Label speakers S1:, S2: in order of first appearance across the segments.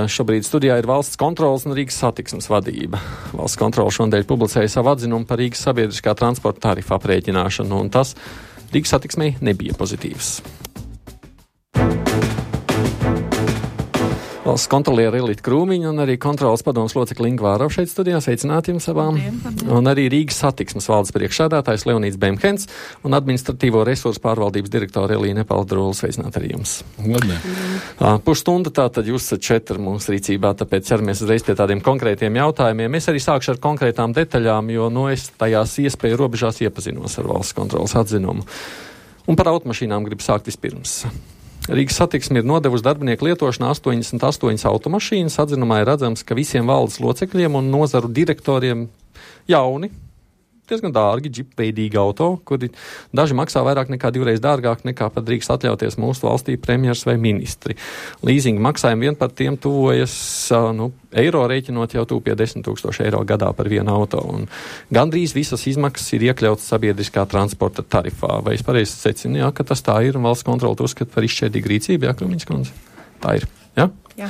S1: Šobrīd studijā ir valsts kontroles un Rīgas satiksmes vadība. Valsts kontrole šodien publicēja savu atzinumu par Rīgas sabiedriskā transporta tarifu aprēķināšanu, un tas Rīgas satiksmei nebija pozitīvs. Valsts kontroliere Ilita Krūmiņa un arī kontroles padomes locekļa Inga Vārava šeit studijā. Sveicināti jums abām.
S2: Labdien.
S1: Un arī Rīgas satiksmes valdes priekšsēdētājs Leonīds Bemhens un administratīvo resursu pārvaldības direktore Elīna Nepaldrūla. Sveicināti arī jums.
S3: Labdien.
S1: Pusstunda tātad jūs esat 4 mūsu rīcībā, tāpēc ķeramies uzreiz pie tādiem konkrētiem jautājumiem. Es arī sākšu ar konkrētām detaļām, jo es tajās iespēju robežās iepazinos ar valsts kontroles atzinumu. Un par automašīnām gribu sākt vispirms. Rīgas satiksme ir nodevusi darbinieku lietošanā 88 automašīnas. Atzinumā ir redzams, ka visiem valdes locekļiem un nozaru direktoriem jauni, diezgan dārgi, džipveidīgi auto, kuri daži maksā vairāk nekā 2 reizes dārgāk nekā pat drīkst atļauties mūsu valstī premjers vai ministri. Līzinga maksājumi vien par tiem tuvojas eiro rēķinot jau tūp pie 10 000 eiro gadā par vienu auto. Un gandrīz visas izmaksas ir iekļautas sabiedriskā transporta tarifā. Vai es pareizi secinu, ka tas tā ir un valsts kontrole uzskata par izšķērdīgu rīcību, Krūmiņas kundze? Tā ir, ja?
S2: Jā.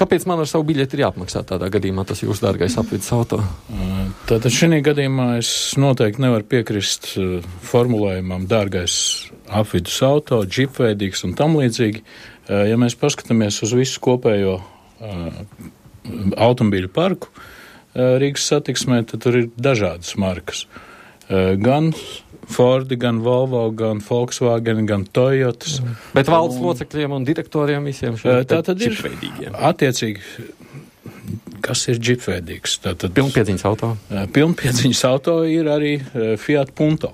S1: Kāpēc man ar savu biļeti ir jāapmaksā tādā gadījumā tas jūsu dārgais apvidus auto?
S3: Tātad šī gadījumā es noteikti nevaru piekrist formulējumam dārgais apvidus auto, džipveidīgs un tam līdzīgi. Ja mēs paskatāmies uz visu kopējo automobīļu parku Rīgas satiksmē, tad tur ir dažādas markas. Gan Fordi, gan Volvo, gan Volkswagen, gan Toyotas.
S1: Bet valdes locekļiem un direktoriem visiem šiem
S3: džipveidīgiem. Attiecīgi, kas ir džipveidīgs?
S1: Pilnpiedziņas auto.
S3: Pilnpiedziņas auto ir arī Fiat Punto,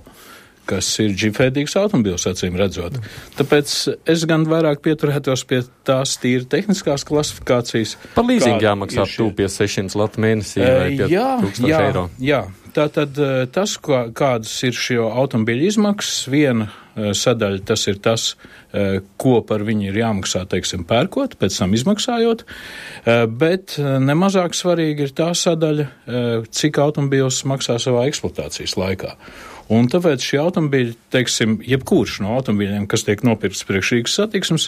S3: kas ir džipveidīgs automobils, acīm redzot. Tāpēc es gan vairāk pieturētos pie tās tīri tehniskās klasifikācijas.
S1: Par līzingu jāmaksā tūp pie 600 latu mēnesī vai pie 1000 eiro.
S3: Jā. Tātad tas, kādas ir šo automobīļu izmaksas, viena sadaļa tas ir tas, ko par viņu ir jāmaksā, teiksim, pērkot, pēc tam izmaksājot, bet nemazāk svarīgi ir tā sadaļa, cik automobīls maksā savā eksploatācijas laikā. Un tāpēc šie automobīļi, teiksim, jebkurš no automobīļiem, kas tiek nopirkts priekš Rīgas satiksmes,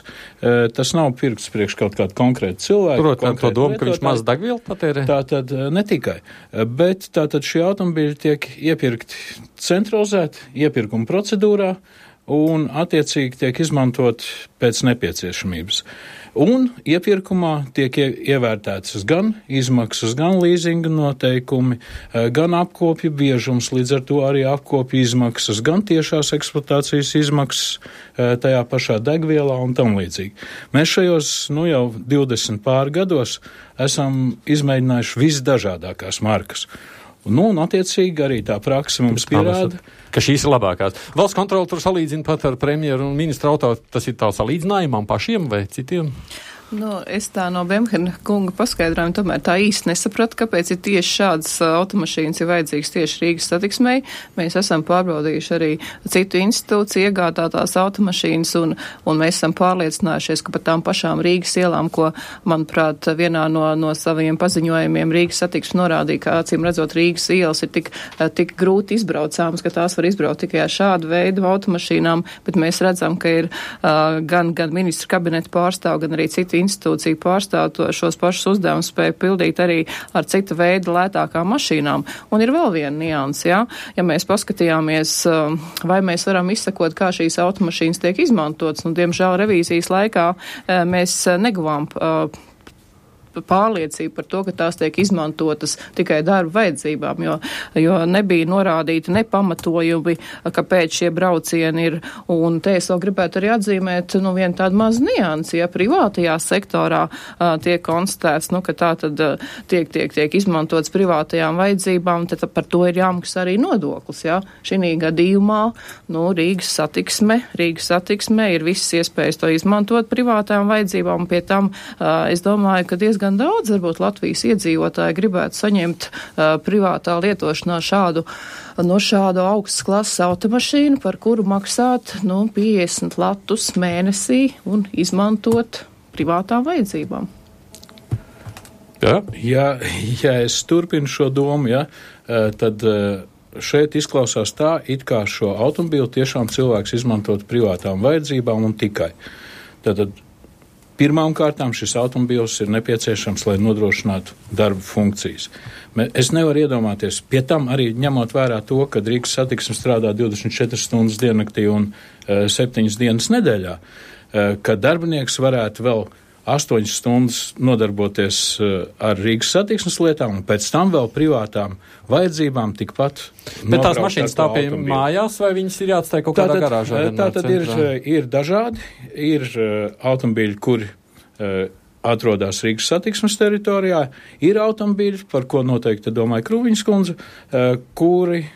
S3: tas nav pirkts priekš kaut kādu konkrētu cilvēku.
S1: Protams, to domu, ka viņš maz degvielu patērē?
S3: Tātad ne tikai, bet tātad šie automobīļi tiek iepirkti centralizēti, iepirkuma procedūrā un attiecīgi tiek izmantot pēc nepieciešamības. Un iepirkumā tiek ievērtētas gan izmaksas, gan līzinga noteikumi, gan apkopju biežums, līdz ar to arī apkopju izmaksas, gan tiešās eksploatācijas izmaksas tajā pašā degvielā un tam līdzīgi. Mēs šajos jau 20 pār gados esam izmēģinājuši visdažādākās markas. Un attiecīgi arī tā praksa mums pierāda,
S1: ka šīs ir labākās. Valsts kontrole tur salīdzina pat ar premjeru un ministru auto. Tas ir tā salīdzinājumam pašiem vai citiem?
S2: Es tā no Bemhena kunga paskaidrojumu tomēr tā īsti nesapratu, kāpēc ir tieši šādas automašīnas ir vajadzīgas tieši Rīgas satiksmei. Mēs esam pārbaudījuši arī citu institūciju iegādātās automašīnas un mēs esam pārliecinājušies, ka pat tām pašām Rīgas ielām, ko, manuprāt, vienā no saviem paziņojumiem Rīgas satiksme norādīja, ka acīm redzot Rīgas ielas ir tik grūti izbraucāmas, ka tās var izbraukt tikai ar šādu veidu automašīnām, bet mēs redzam, ka ir gan ministru kabineta pārstāv, gan arī citu institūciju pārstāv šos pašus uzdevumus spēja pildīt arī ar citu veidu lētākām mašīnām. Un ir vēl viena nianse, ja mēs paskatījāmies, vai mēs varam izsakot, kā šīs automašīnas tiek izmantotas, un diemžēl revīzijas laikā mēs neguvām pārliecība par to, ka tās tiek izmantotas tikai darba vajadzībām, jo nebija norādīti nepamatojumi, kāpēc šie braucieni ir. Un te es vēl gribētu arī atzīmēt vienu tādu mazu niansi, ja privātajā sektorā tiek konstatēts, ka tā tad tiek izmantots privātajām vajadzībām, tad par to ir jāmaksā arī nodoklis. Ja? Šī gadījumā Rīgas satiksme ir visas iespējas to izmantot privātajām vajadzībām, un pie tam es domāju, ka diezgan daudz, varbūt Latvijas iedzīvotāji gribētu saņemt privātā lietošanā šādu augstas klases automašīnu, par kuru maksāt 50 latus mēnesī un izmantot privātām vajadzībām.
S3: Ja es turpinu šo domu, tad šeit izklausās tā, it kā šo automobīlu tiešām cilvēks izmantot privātām vajadzībām un tikai. Tātad Pirmām kārtām šis automobils ir nepieciešams, lai nodrošinātu darba funkcijas. Es nevaru iedomāties, pie tam arī ņemot vērā to, ka Rīgas satiksme strādā 24 stundas diennaktī un 7 dienas nedēļā, ka darbinieks varētu vēl 8 stundas nodarboties ar Rīgas satiksmes lietām un pēc tam vēl privātām vajadzībām tikpat.
S1: Bet tās mašīnas stāv pie mājās vai viņas ir jāatstāj kaut kādā garāžā?
S3: Tātad ir dažādi, ir automobīļi, kuri atrodas Rīgas satiksmes teritorijā, ir automobīļi, par ko noteikti domāja Krūviņas kundze, kuri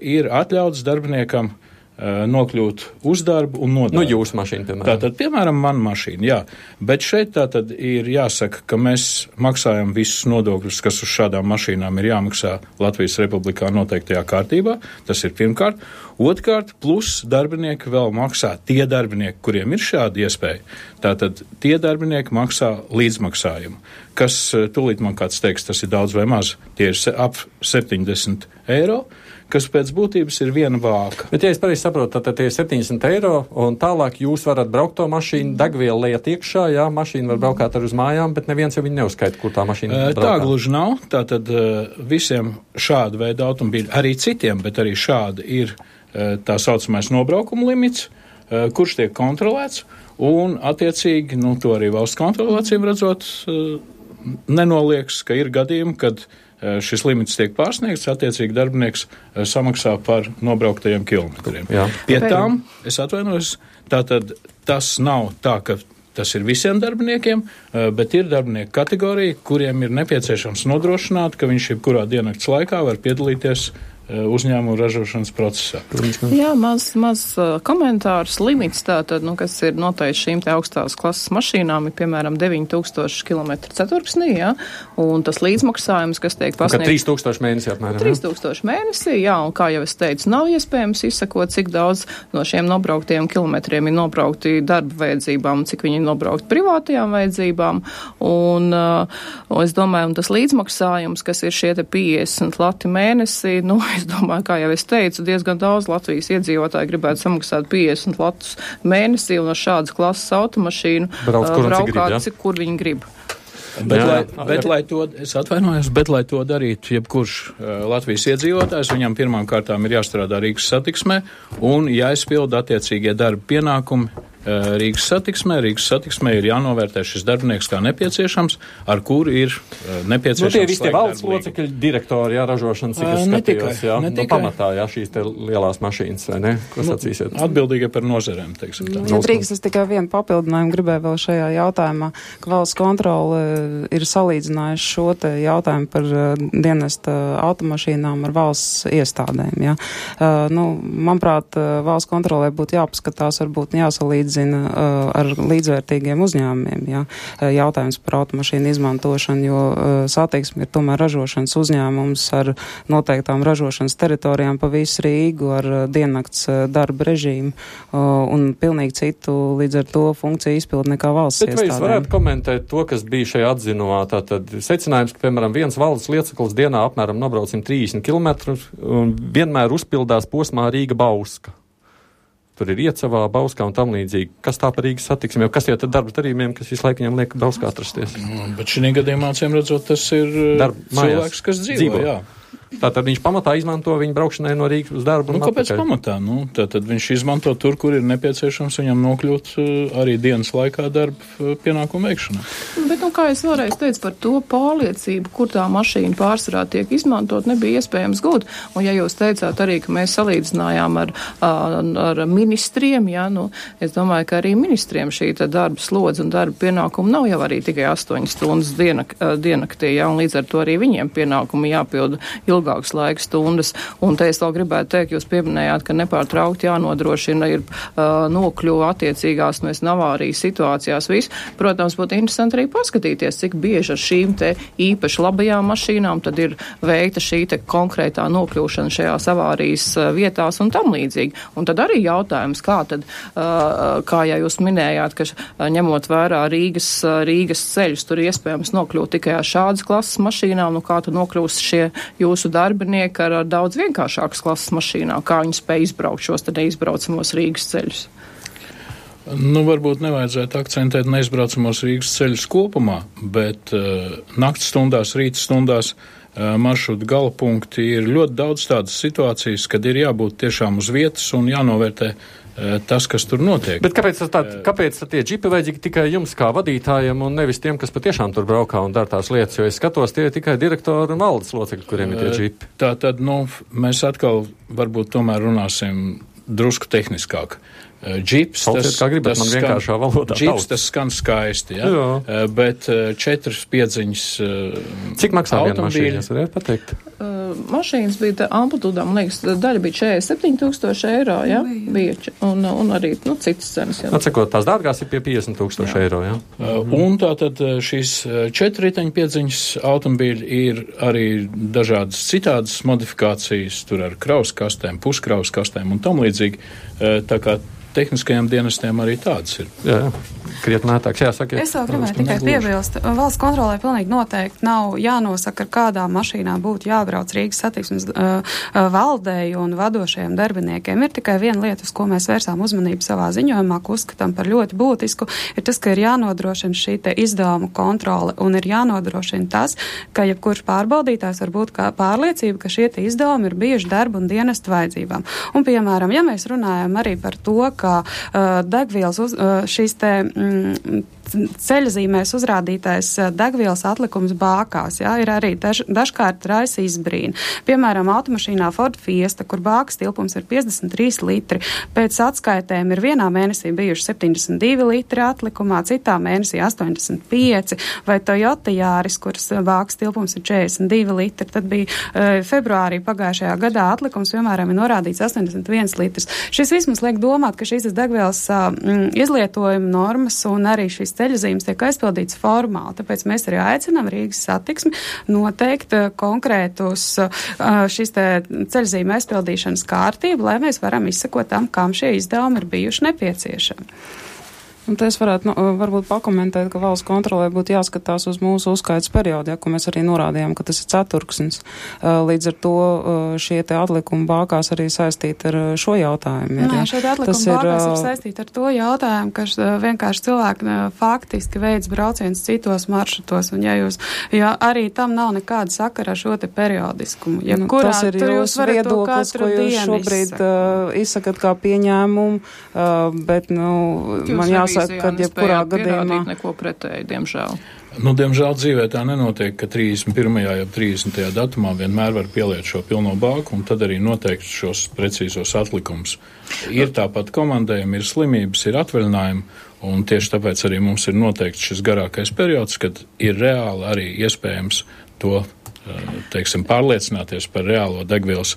S3: ir atļauts darbiniekam nokļūt uz darbu un no darba.
S1: Nu, jūsu mašīna, piemēram.
S3: Tātad, piemēram, mana mašīna, jā. Bet šeit tātad ir jāsaka, ka mēs maksājam visus nodokļus, kas uz šādām mašīnām ir jāmaksā Latvijas Republikā noteiktajā kārtībā. Tas ir pirmkārt. Otrkārt, plus darbinieki vēl maksā tie darbinieki, kuriem ir šāda iespēja. Tātad tie darbinieki maksā līdzmaksājumu, kas, tūlīt man kāds teiks, tas ir daudz vai maz. Tie ir ap 70 eiro. Kas pēc būtības ir viena vāka.
S1: Bet, ja es pareizi saprotu, tad tie ir 70 eiro, un tālāk jūs varat braukt to mašīnu, degvielu liet iekšā, jā, mašīna var braukāt ar uz mājām, bet neviens jau viņu neuzskaita, kur tā mašīna braukā.
S3: Tā gluži nav, tātad visiem šāda veida automobīļi, arī citiem, bet arī šādi ir tā saucamais nobraukuma limits, kurš tiek kontrolēts, un attiecīgi, to arī valsts kontrole acīm redzot, nenolieks, ka ir gadījumi, kad šis limits tiek pārsniegts, attiecīgi darbinieks samaksā par nobrauktajiem kilometriem. Jā. Pie tām, es atvainojos, tātad tas nav tā, ka tas ir visiem darbiniekiem, bet ir darbinieku kategorija, kuriem ir nepieciešams nodrošināt, ka viņš jebkurā diennakts laikā var piedalīties uzņēmumu ražošanas procesā.
S2: Jā, maz komentārs limits tātad, kas ir noteikti šīm te augstās klases mašīnām, ir piemēram 9000 km/ceturksnī, jā, un tas līdzmaksājums, kas tiek pasniegts.
S1: 3000 mēnesī apmēram.
S2: 3000 mēnesī, jā, un kā jau es teicu, nav iespējams izsakot, cik daudz no šiem nobrauktiem kilometriem ir nobraukti darba vajadzībām, cik viņi ir nobraukti privātajām vajadzībām, un es domāju, un tas līdzmaksājums, kas ir šie te 50 lati mēnesī, es domāju, kā jau es teicu, diezgan daudz Latvijas iedzīvotāji gribētu samaksāt 50 latus mēnesī un ar šādas klases automašīnu braukāt, kur viņi grib.
S3: Bet, lai to, es atvainojos, bet, lai to darītu jebkurš Latvijas iedzīvotājs, viņam pirmām kārtām ir jāstrādā Rīgas satiksmē un jāizpilda attiecīgie darba pienākumi Rīgas satiksmē. Rīgas satiksmē ir jānovērtē šis darbinieks kā nepieciešams, ar kuru ir nepieciešams.
S1: Tie visi tie valdes locekļi, direktori, jā, ražošanas, cik es skatījos, jā, pamatā, jā, šīs te lielās mašīnas, vai ne? Ko sacīsiet?
S3: Atbildīgie par nozerēm, teiksim tā.
S4: Ja drīkst, es tikai vienu papildinājumu gribēju vēl šajā jautājumā, ka valsts kontrole ir salīdzinājuši šo te jautājumu par dienesta automašīnām ar valsts iestādēm, jā. Manuprāt, valsts kontrolē būtu jāpaskatās, varbūt jāsalīdzina ar līdzvērtīgiem uzņēmumiem, jā. Jautājums par automašīnu izmantošanu, jo satiksme ir tomēr ražošanas uzņēmums ar noteiktām ražošanas teritorijām pa visu Rīgu, ar diennakts darba režīmu un pilnīgi citu līdz ar to funkciju izpildu nekā valsts iestādēm. Bet vai jūs
S1: varētu komentēt to, kas bija šajā atzinumā? Tātad secinājums, ka, piemēram, viens valdes lieceklis dienā apmēram nobrauc 130 km un vienmēr uzpildās posmā Rīga-Bauska. Tur ir Iecavā, Bauskā un tam līdzīgi. Kas tā par Rīgas satiksmi? Kas tie tad darba darījumiem, kas visu laiku viņam liek Bauskā atrasties?
S3: Bet šī gadījumā, acīm redzot, tas ir cilvēks, kas dzīvo. Jā.
S1: Tātad viņš pamatā izmanto viņu braukšanai no Rīgas uz darbu.
S3: Kāpēc pamatā? Tātad viņš izmanto tur, kur ir nepieciešams viņam nokļūt arī dienas laikā darba pienākumu veikšanā.
S2: Bet, kā es vēlreiz teicu par to pārliecību, kur tā mašīna pārsvarā tiek izmantot, nebija iespējams gūt. Un ja jūs teicāt arī, ka mēs salīdzinājām ar ministriem, jā, es domāju, ka arī ministriem šī darba slodze un darba pienākumi nav jau arī tikai 8 stundas diennaktī, jā, un līdz ar to arī viņiem pienākumi jāpilda ilgākas laika stundas. Un te es vēl gribētu teikt, jūs pieminējāt, ka nepārtraukti jānodrošina ir nokļuva attiecīgās avārijas situācijās viss. Protams, būtu interesanti arī paskatīties, cik bieži ar šīm te īpaši labajām mašīnām tad ir veikta šī te konkrētā nokļūšana šajās avārijas vietās un tam līdzīgi. Un tad arī jautājums, kā tad, kā ja jūs minējāt, ka ņemot vērā Rīgas ceļus, tur iespējams nokļūt tikai ar šādas klases mašīnām, kā tad nokļūst šie jūsu darbinieki ar daudz vienkāršākas klases mašīnām, kā viņi spēj izbraukt šos tad neizbraucamos Rīgas ceļus?
S3: Varbūt nevajadzētu akcentēt neizbraucamos Rīgas ceļus kopumā, bet nakts stundās, rīta stundās maršrutu galapunkti ir ļoti daudz tādas situācijas, kad ir jābūt tiešām uz vietas un jānovērtē tas, kas tur notiek.
S1: Bet kāpēc tie džipi vajadzīgi tikai jums kā vadītājiem un nevis tiem, kas patiešām tur braukā un dara tās lietas, jo es skatos, tie ir tikai direktori un valdes locekļi, kuriem ir tie džipi?
S3: Tātad, mēs atkal varbūt tomēr runāsim drusku tehniskāk. Džips, tas skan skaisti, ja? Bet 4 piedziņas
S1: Cik maksā viena mašīna, jūs varētu pateikt?
S2: Mašīnas bija amplitūdā, man liekas, daļa bija 47,000 eiro, ja? Bija, un arī, citas cenas.
S1: Atsakot, tās dārgās ir pie 50,000 eiro, ja?
S3: Un tātad šīs 4 riteņu piedziņas automobīļi ir arī dažādas citādas modifikācijas, tur ar krauskastēm, puskrauskastēm un tam līdzīgi, tā kā tehniskajiem dienestiem arī tādas ir.
S1: Jā, krietni mētāks. Jāsaka,
S5: es vēl gribēju tikai piebilst. Valsts kontrolē pilnīgi noteikti nav jānosaka, ar kādām mašīnām būtu jābrauc Rīgas satiksmes valdei un vadošajiem darbiniekiem. Ir tikai viena lieta, uz ko mēs vērsām uzmanību savā ziņojumā, ko uzskatām par ļoti būtisku, ir tas, ka ir jānodrošina šī te izdevumu kontrole un ir jānodrošina tas, ka jebkurš pārbaudītājs var būt kā pārliecība, ka šie te izdevumi ir bijuši darba un dienestu vajadzībām. Un, piemēram, ja mēs runājam arī par to, ka degvielas šīs te ceļzīmēs uzrādītais degvielas atlikums bākās, jā, ir arī dažkārt raisa izbrīna. Piemēram, automašīnā Ford Fiesta, kur bākas tilpums ir 53 litri, pēc atskaitēm ir vienā mēnesī bijuši 72 litri atlikumā, citā mēnesī 85, vai Toyota Jāris, kuras bākas tilpums ir 42 litri, tad bija februārī pagājušajā gadā atlikums, piemēram, ir norādīts 81 litrs. Šis viss mums liek domāt, ka šīs degvielas izlietojuma normas un arī šīs ceļzīmes tiek aizpildīts formāli. Tāpēc mēs arī aicinām Rīgas satiksmi noteikt konkrētus šīs te ceļzīme aizpildīšanas kārtību, lai mēs varam izsekot tam, kam šie izdevumi ir bijuši nepieciešami.
S4: Un te es varētu varbūt pakomentēt, ka valsts kontrolē būtu jāskatās uz mūsu uzskaitas periodu, ja, ko mēs arī norādījām, ka tas ir ceturksnis. Līdz ar to šie te atlikumi bākās arī saistīti ar šo jautājumu.
S5: Nē, šie atlikumi bākās ir saistīti ar to jautājumu, ka vienkārši cilvēki faktiski veids brauciens citos maršrutos, un ja arī tam nav nekāda sakara ar šo te periodiskumu.
S4: Tas ir jūsu viedoklis, ko jūs šobrīd izsakat kā pieņēmumu, bet, man jāsaka, kad jebkurā gadījumā
S2: neko pretēji, diemžēl.
S3: Diemžēl dzīvē tā nenotiek, ka 31. jau 30. datumā vienmēr var pieliet šo pilno bāku un tad arī noteikt šos precīzos atlikumus. Ir tāpat komandējumi, ir slimības, ir atvaļinājumi, un tieši tāpēc arī mums ir noteikts šis garākais periods, kad ir reāli arī iespējams to, pārliecināties par reālo degvielas,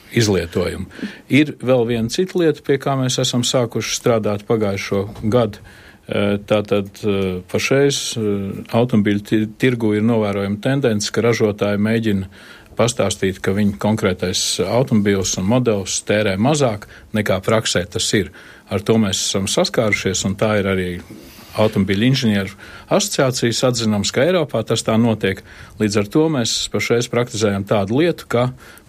S3: izlietojumu. Ir vēl viena cita lieta, pie kā mēs esam sākuši strādāt pagājušo gadu. Tātad pašreiz automobīļu tirgu ir novērojama tendence, ka ražotāji mēģina pastāstīt, ka viņa konkrētais automobīls un modelis tērē mazāk nekā praksē tas ir. Ar to mēs esam saskārušies, un tā ir arī automobīļu inženieru asociācijas atzinums, ka Eiropā tas tā notiek. Līdz ar to mēs pašreiz praktizējam tādu lietu, ka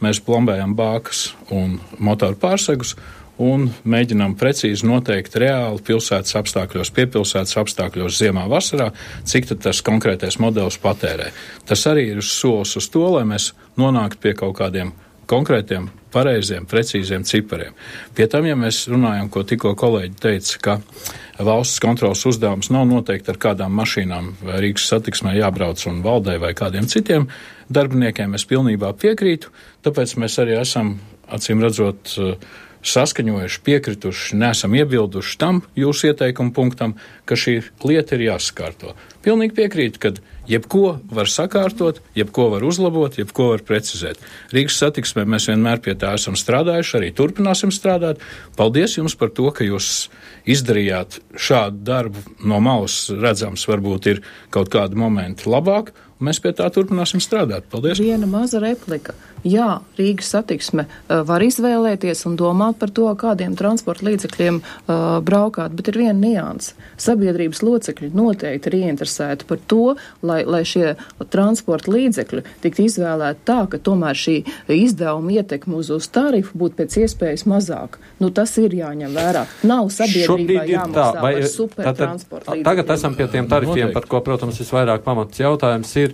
S3: mēs plombējam bākas un motoru pārsegus un mēģinām precīzi noteikt reāli pilsētas apstākļos, piepilsētas apstākļos ziemā vasarā, cik tad tas konkrētais modelis patērē. Tas arī ir solis uz to, lai mēs nonāktu pie kaut kādiem konkrētiem, pareiziem, precīziem cipariem. Pie tam, ja mēs runājam, ko tikko kolēģi teica, ka valsts kontrolas uzdevums nav noteikti ar kādām mašīnām vai Rīgas satiksmē jābrauc un valdei vai kādiem citiem darbiniekiem, es pilnībā piekrītu, tāpēc mēs arī esam, acīm redzot, saskaņojuši, piekrituši, neesam iebilduši tam jūsu ieteikumu punktam, ka šī lieta ir jāsakārto. Pilnīgi piekrītu, ka jebko var sakārtot, jebko var uzlabot, jebko var precizēt. Rīgas satiksmē mēs vienmēr pie tā esam strādājuši, arī turpināsim strādāt. Paldies jums par to, ka jūs izdarījāt šādu darbu. No malas redzams, varbūt ir kaut kādi momenti labāk, un mēs pie tā turpināsim strādāt. Paldies.
S2: Viena maza replika. Jā, Rīgas satiksme var izvēlēties un domāt par to, kādiem transporta līdzekļiem braukāt, bet ir viena nianse. Sabiedrības locekļi noteikti ir ieinteresēti par to, lai šie transporta līdzekļi tiktu izvēlēti tā, ka tomēr šī izdevuma ietekme uz tarifu būtu pēc iespējas mazāk. Tas ir jāņem vērā. Nav sabiedrībā jāmaksā par supertransporta līdzekļiem.
S1: Tagad esam pie tiem tarifiem, par ko, protams, visvairāk pamats jautājums ir.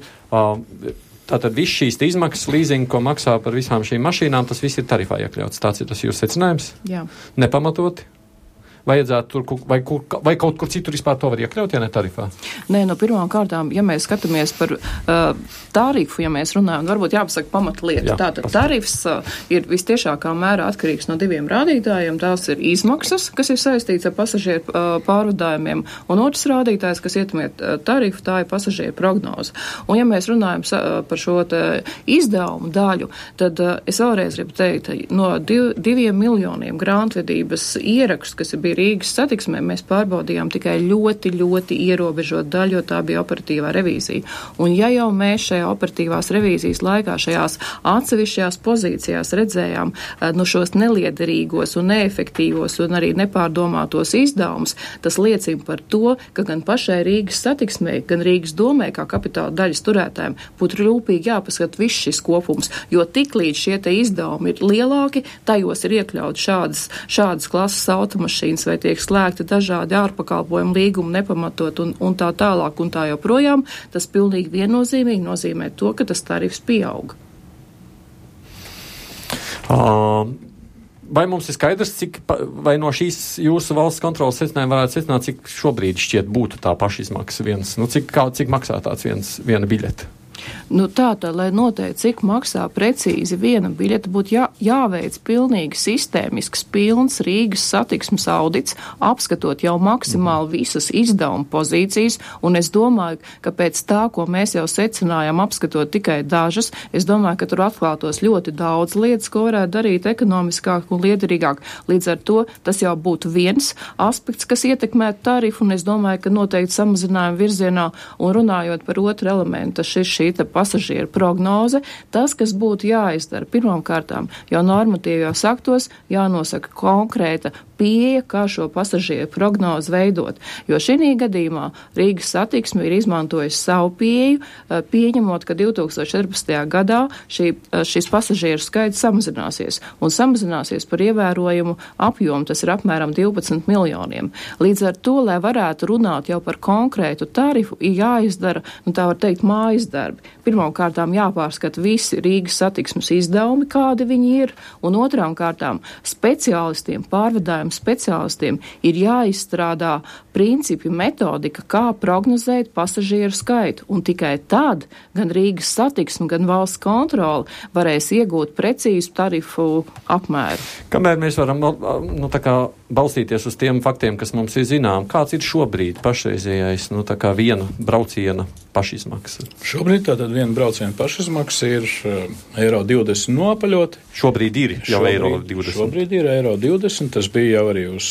S1: Tātad viss šīs izmaksas, līzingi, ko maksā par visām šīm mašīnām, tas viss ir tarifā iekļauts. Tāds ir tas jūsu secinājums?
S2: Jā.
S1: Nepamatoti? Vajadzētu tur, vai kaut kur citur vispār to var iekļaut, ja ne tarifā?
S2: Nē, pirmām kārtām, ja mēs skatāmies par tarifu, ja mēs runājam, varbūt jāpasaka pamatlieta. Tātad tarifs ir vistiešākā mērā atkarīgs no diviem rādītājiem. Tās ir izmaksas, kas ir saistīts ar pasažieru pārvadājumiem, un otrs rādītājs, kas ietekmē tarifu, tā ir pasažieru prognoze. Un ja mēs runājam par šo izdevumu daļu, tad es vēlreiz gribu teikt, no 2 miljoniem grāmatvedības ierakstu, kas ir Rīgas satiksmē, mēs pārbaudījām tikai ļoti, ļoti ierobežot daļu, jo tā bija operatīvā revīzija. Un ja jau mēs šajā operatīvās revīzijas laikā šajās atsevišķajās pozīcijās redzējām šos neliederīgos un neefektīvos un arī nepārdomātos izdevumus, tas liecina par to, ka gan pašai Rīgas satiksmē, gan Rīgas domē, kā kapitāla daļas turētājiem, būtu rūpīgi jāpaskat viss šis kopums, jo tiklīdz šie te izdevumi ir lielāki, tajos ir iekļaut šādas klases automašīnas vai tiek slēgti dažādi ārpakalpojumu līgumi nepamatot un tā tālāk un tā joprojām, tas pilnīgi viennozīmīgi nozīmē to, ka tas tarifs pieauga.
S1: Vai mums ir skaidrs, vai no šīs jūsu valsts kontrolas secinājuma varētu secināt, cik šobrīd šķiet būtu tā pašizmaksa cik maksā tāds viena biļete?
S2: Tātad, lai noteikti, cik maksā precīzi viena biļete, būtu jāveic pilnīgi sistēmisks, pilns Rīgas satiksmes audits, apskatot jau maksimāli visas izdevuma pozīcijas, un es domāju, ka pēc tā, ko mēs jau secinājām, apskatot tikai dažas, es domāju, ka tur atklātos ļoti daudz lietas, ko varētu darīt ekonomiskāk un liederīgāk. Līdz ar to tas jau būtu viens aspekts, kas ietekmētu tarifu, un es domāju, ka noteikti samazinājuma virzienā, un runājot par otru elementu, šī pasažieru prognoze, tas, kas būtu jāizdara pirmām kārtām, jau normatīvajos aktos jānosaka konkrēta pieeja, kā šo pasažieru prognozi veidot. Jo šī gadījumā Rīgas satiksme ir izmantojusi savu pieeju, pieņemot, ka 2014. gadā šis pasažieru skaits samazināsies, un samazināsies par ievērojumu apjomu, tas ir apmēram 12 miljoniem. Līdz ar to, lai varētu runāt jau par konkrētu tarifu, ir jāizdara, tā var teikt, mājas darbi. Pirmām kārtām jāpārskata visi Rīgas satiksmes izdevumi, kādi viņi ir, un otrām kārtām speciālistiem, pārvadājumu speciālistiem ir jāizstrādā principi, metodika, kā prognozēt pasažieru skaitu, un tikai tad gan Rīgas satiksme, gan valsts kontrole varēs iegūt precīzu tarifu apmēru.
S1: Kamēr mēs varam balstīties uz tiem faktiem, kas mums ir zinām, kāds ir šobrīd pašreizējais viena brauciena pašizmaksa?
S3: Šobrīd tātad viena brauciena pašizmaksa ir eiro 20 nopaļot.
S1: Šobrīd ir jau eiro 20.
S3: Šobrīd ir eiro 20, tas bija jau arī uz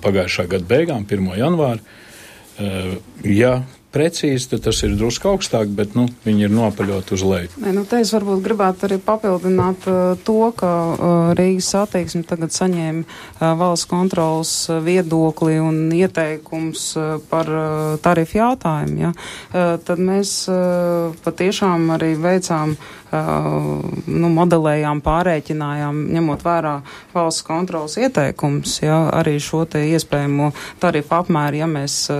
S3: pagājušā gada beigām, 1. janvāra. Ja precīzi, tad tas ir drusku augstāk, bet, viņi ir nopaļot uz leju.
S4: Te es varbūt gribētu arī papildināt to, ka Rīgas satiksme tagad saņēma valsts kontrolas viedokli un ieteikums par tarifu jautājumu, tad mēs patiešām arī veicām modelējām, pārēķinājām, ņemot vērā valsts kontrolas ieteikums, arī šo te iespējamo tarifu apmēru, ja mēs,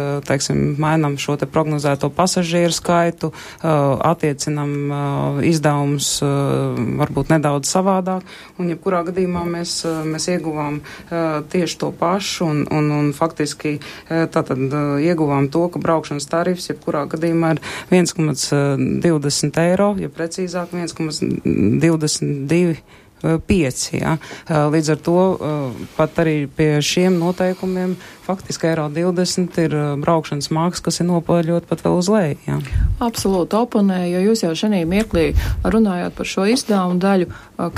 S4: mainām šo te prognozēto pasažieru skaitu, attiecinam izdevumus varbūt nedaudz savādāk, un jebkurā gadījumā mēs ieguvām tieši to pašu, un faktiski tātad ieguvām to, ka braukšanas tarifs jebkurā gadījumā ir 1,20 eiro, ja precīzāk 1,22 5. Ja. Līdz ar to pat arī pie šiem noteikumiem faktiski eiro 20 ir braukšanas māksla, kas ir nopaļot pat vēl uz leju. Ja.
S2: Absolūti oponēju, jo jūs jau šajā mirklī runājot par šo izdevumu daļu,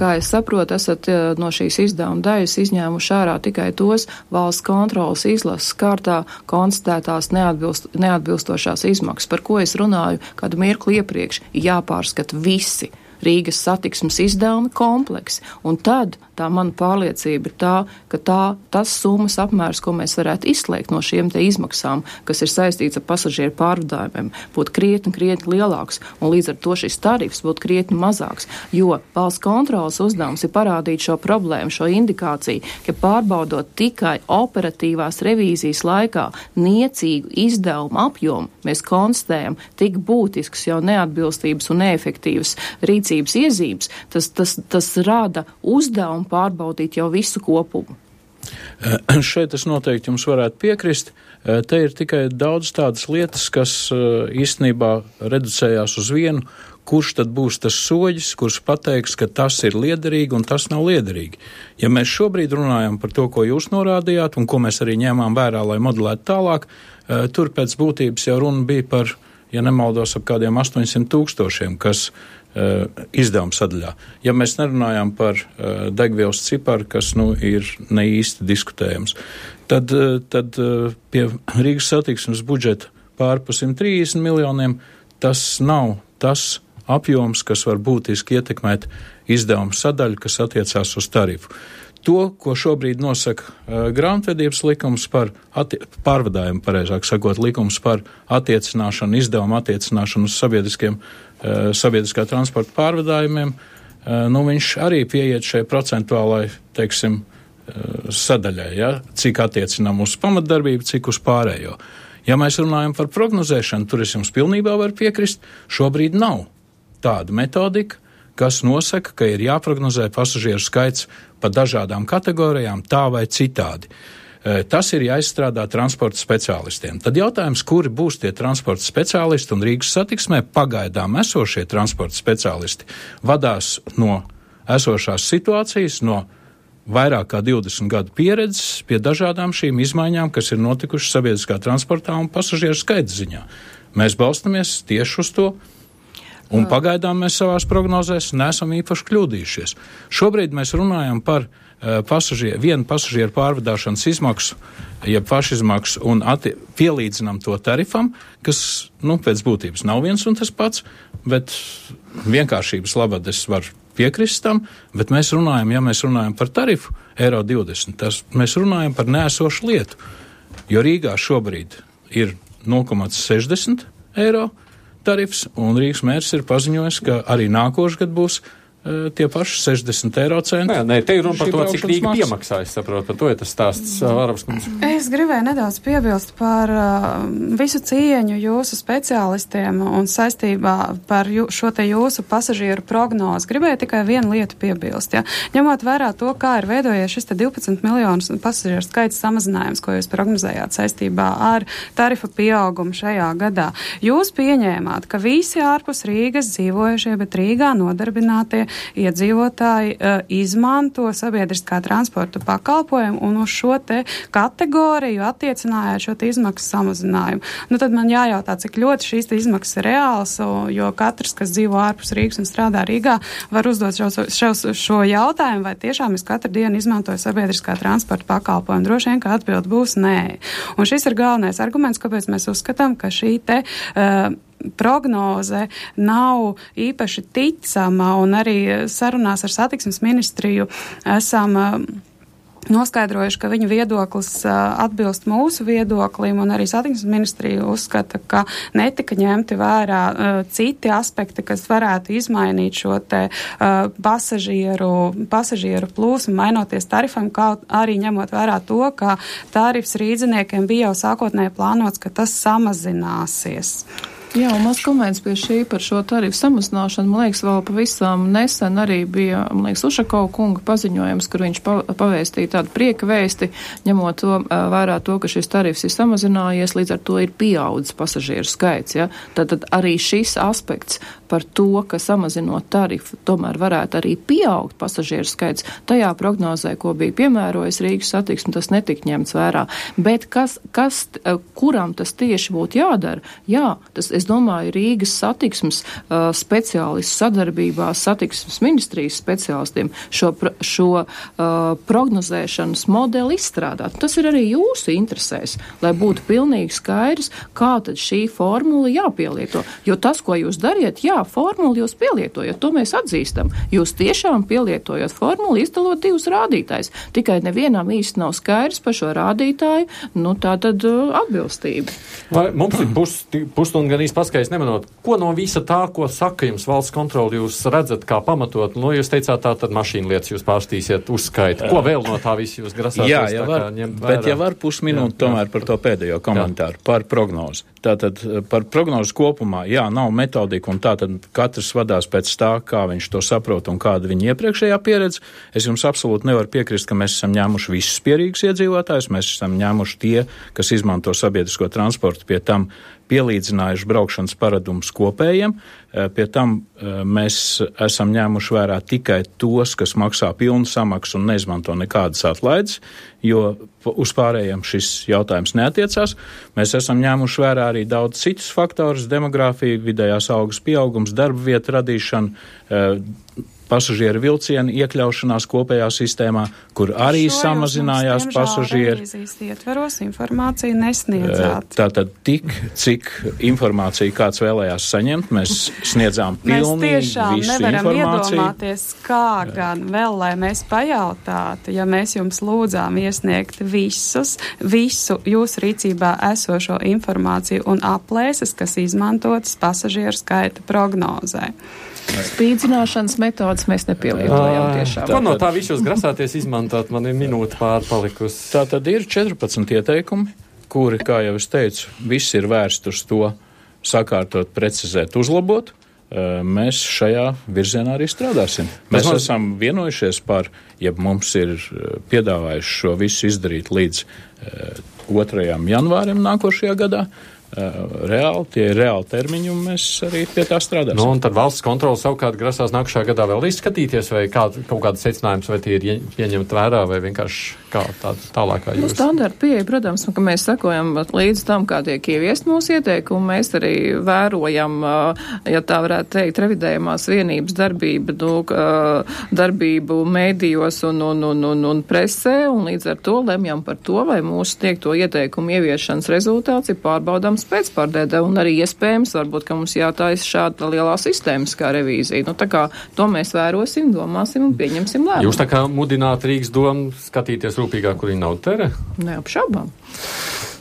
S2: kā es saprotu, esat no šīs izdevuma daļas izņēmuši ārā tikai tos valsts kontrolas izlases kārtā konstatētās neatbilstošās izmaksas, par ko es runāju kādu mirkli iepriekš, jāpārskata visi Rīgas satiksmes izdevumi kompleksi. Un tad tā mana pārliecība ir tā, ka tas summas apmērs, ko mēs varētu izslēgt no šiem te izmaksām, kas ir saistīts ar pasažieru pārvadājumiem, būtu krietni lielāks, un līdz ar to šis tarifs būtu krietni mazāks, jo valsts kontrolas uzdevums ir parādīt šo problēmu, šo indikāciju, ka pārbaudot tikai operatīvās revīzijas laikā niecīgu izdevumu apjomu, mēs konstatējam tik būtisks jau neatbilstības un neefektīvas rīcības iezīmes, tas rada uzdevumu pārbaudīt jau visu kopumu.
S3: Šeit es noteikti jums varētu piekrist. Te ir tikai daudz tādas lietas, kas īstenībā reducējās uz vienu, kurš tad būs tas soļis, kurš pateiks, ka tas ir liederīgi un tas nav liederīgi. Ja mēs šobrīd runājam par to, ko jūs norādījāt un ko mēs arī ņēmām vērā, lai modelētu tālāk, tur pēc būtības jau runa bija par, ja nemaldos, ap kādiem 800,000, kas izdevuma sadaļā. Ja mēs nerunājam par degvielas ciparu, kas ir ne īsti diskutējams, tad pie Rīgas satiksmes budžeta pār pa 130 miljoniem tas nav tas apjoms, kas var būtiski ietekmēt izdevuma sadaļu, kas attiecās uz tarifu. To, ko šobrīd nosaka grāmatvedības likums par pārvadājumu, pareizāk sakot, likums par attiecināšanu, izdevumu attiecināšanu uz sabiedriskā transporta pārvadājumiem, viņš arī pieiet šai procentuālai, teiksim, sadaļai, ja? Cik attiecinām uz pamatdarbību, cik uz pārējo. Ja mēs runājam par prognozēšanu, tur es jums pilnībā varu piekrist, šobrīd nav tāda metodika, kas nosaka, ka ir jāprognozē pasažieru skaits pa dažādām kategorijām tā vai citādi. Tas ir jāizstrādā transporta speciālistiem. Tad jautājums, kuri būs tie transporta speciālisti, un Rīgas satiksmē pagaidām esošie transporta speciālisti vadās no esošās situācijas, no vairāk kā 20 gadu pieredzes pie dažādām šīm izmaiņām, kas ir notikušas sabiedriskā transportā un pasažieru skaita ziņā. Mēs balstamies tieši uz to, un pagaidām mēs savās prognozēs neesam īpaši kļūdījušies. Šobrīd mēs runājam par vienu pasažieru pārvadāšanas izmaksu, jeb pašizmaksu, un pielīdzinām to tarifam, kas, pēc būtības nav viens un tas pats, bet vienkāršības labad es varu piekrist tam, bet mēs runājam par tarifu eiro 20, mēs runājam par neesošu lietu, jo Rīgā šobrīd ir 0,60 eiro tarifs, un Rīgas mērs ir paziņojis, ka arī nākošais gads būs tie paši 60 eiro centi.
S1: Nē, te ir runa par to, cik Rīga piemaksā, es saprotu, par to ir tas stāsts Vāravas kundze.
S5: Es gribēju nedaudz piebilst par visu cieņu jūsu speciālistiem un saistībā par šo te jūsu pasažieru prognozi. Gribēju tikai vienu lietu piebilst, ja. Ņemot vērā to, kā ir veidojies šis te 12 miljonus pasažieru skaits samazinājums, ko jūs prognozējāt saistībā ar tarifa pieaugumu šajā gadā. Jūs pieņēmāt, ka visi ārpus Rīgas dzīvojušie, bet Rīgā nodarbinātie iedzīvotāji izmanto sabiedriskā transporta pakalpojumu un uz šo te kategoriju attiecinājāt šo te izmaksu samazinājumu. Tad man jājautā, cik ļoti šīs te izmaksas ir reāls, jo katrs, kas dzīvo ārpus Rīgas un strādā Rīgā, var uzdot šo jautājumu, vai tiešām es katru dienu izmantoju sabiedriskā transporta pakalpojumu. Droši vien, ka atbild būs nē. Un šis ir galvenais arguments, kāpēc mēs uzskatām, ka šī te prognoze nav īpaši ticama, un arī sarunās ar satiksmes ministriju esam noskaidrojuši, ka viņu viedoklis atbilst mūsu viedoklim, un arī satiksmes ministrija uzskata, ka netika ņemti vērā citi aspekti, kas varētu izmainīt šo te pasažieru plūsmu, mainoties tarifam, kā arī ņemot vērā to, ka tarifs rīdziniekiem bija jau sākotnēji plānots, ka tas samazināsies.
S2: Jā, un maz komentārs pie šī par šo tarifu samazināšanu. Man liekas, vēl pavisam nesen arī bija, Ušakova kunga paziņojums, kur viņš pavēstīja tādu prieka vēsti, ņemot to vērā to, ka šis tarifs ir samazinājies, līdz ar to ir pieaudzis pasažieru skaits. Ja? Tad arī šis aspekts par to, ka samazinot tarifu, tomēr varētu arī pieaugt pasažieru skaits, tajā prognozē, ko bija piemērojis Rīgas satiksme, tas netika ņemts vērā. Bet kuram tas tieši būtu jādara? Jā, tas es domāju, Rīgas satiksmes speciālistu sadarbībā satiksmes ministrijas speciālistiem šo prognozēšanas modeli izstrādāt. Tas ir arī jūsu interesēs, lai būtu pilnīgi skaidrs, kā tad šī formula jāpielieto. Jo tas, ko jūs dariet, formulu jūs pielietojat, to mēs atzīstam. Jūs tiešām pielietojat formulu, izdalot 2 rādītājus. Tikai nevienam īsti nav skaidrs par šo rādītāju, tātad atbilstība.
S1: Vai mums ir pusstunda gan īsti paskaidrs nemanot, ko no visa tā, ko saka jums valsts kontroli, jūs redzat kā pamatot? Jūs teicāt, tā tad mašīnu lietas jūs pārstīsiet uzskait. Ko vēl no tā visi jūs grasāties ņemt vērā?
S3: Bet ja var pusminūti tomēr par to pēdējo komentāru, par prognozi. Tātad par prognozi kopumā, nav metodika un tātad katrs vadās pēc tā, kā viņš to saprot un kāda viņa iepriekšējā pieredze. Es jums absolūti nevaru piekrist, ka mēs esam ņēmuši visus pierīgus iedzīvotājus, mēs esam ņēmuši tie, kas izmanto sabiedrisko transportu, pie tam pielīdzinājuši braukšanas paradumus kopējiem, pie tam mēs esam ņēmuši vērā tikai tos, kas maksā pilnu samaksu un neizmanto nekādas atlaides, jo uz pārējiem šis jautājums neatiecās. Mēs esam ņēmuši vērā arī daudz citus faktorus, demogrāfiju, vidējās algas pieaugums, darba vietu radīšanu, pasažieru vilcienu iekļaušanās kopējā sistēmā, kur arī samazinājās pasažieri.
S5: Ietveros informāciju nesniedzāt.
S3: Tātad tik, cik informāciju kāds vēlējās saņemt, mēs sniedzām pilnīgi visu informāciju.
S5: Mēs tiešām nevaram iedomāties, kā gan vēl, lai mēs pajautātu, ja mēs jums lūdzām iesniegt visu jūsu rīcībā esošo informāciju un aplēses, kas izmantotas pasažieru skaita prognozē.
S2: Spīdzināšanas metodas mēs nepielietojam tiešām.
S1: Ko no tā visu jūs grasāties izmantot? Man ir minūte pārpalikusi.
S3: Tā tad ir 14 ieteikumi, kuri, kā jau es teicu, viss ir vērst uz to sakārtot, precizēt, uzlabot. Mēs šajā virzienā arī strādāsim. Mēs esam vienojušies par, ja mums ir piedāvājuši šo visu izdarīt līdz 2. janvārim nākošajā gadā. Tie ir reāli termiņi, un mēs arī pie tā strādāsim.
S1: Un tad valsts kontrole savukārt grasās nākušajā gadā vēl izskatīties, vai kaut kādas secinājums, vai tie ir ieņemt vērā, vai vienkārši kā tālākā jūs?
S2: Standarta pieeja, protams, ka mēs sekojam līdz tam, kā tiek ieviest mūsu ieteikumi. Mēs arī vērojam, ja tā varētu teikt, revidējumās vienības darbību mēdījos un presē, un līdz ar to lemjam par to, vai mūsu sniegto ieteikumu ieviešanas rezultāts ir pārbaudāms pēcpārdēdē, un arī iespējams, varbūt, ka mums jātājas šāda lielā sistēmiskā revīzija. Tā kā to mēs vērosim, domāsim un pieņemsim lēmumu.
S1: Jūs tā kā mudināt Rīgas domu skatīties rūpīgāk, kur viņa nav tere?
S2: Neapšaubām.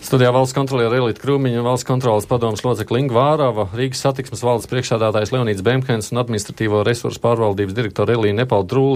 S1: Studijā valsts kontroliera Elīte Krūmiņa, valsts kontroles padomes locekle Inga Vārava, Rīgas satiksmes valdes priekšsēdētājs Leonīds Bemhens un administratīvo resursu pārvaldības direktora Elīna Nepal Drūle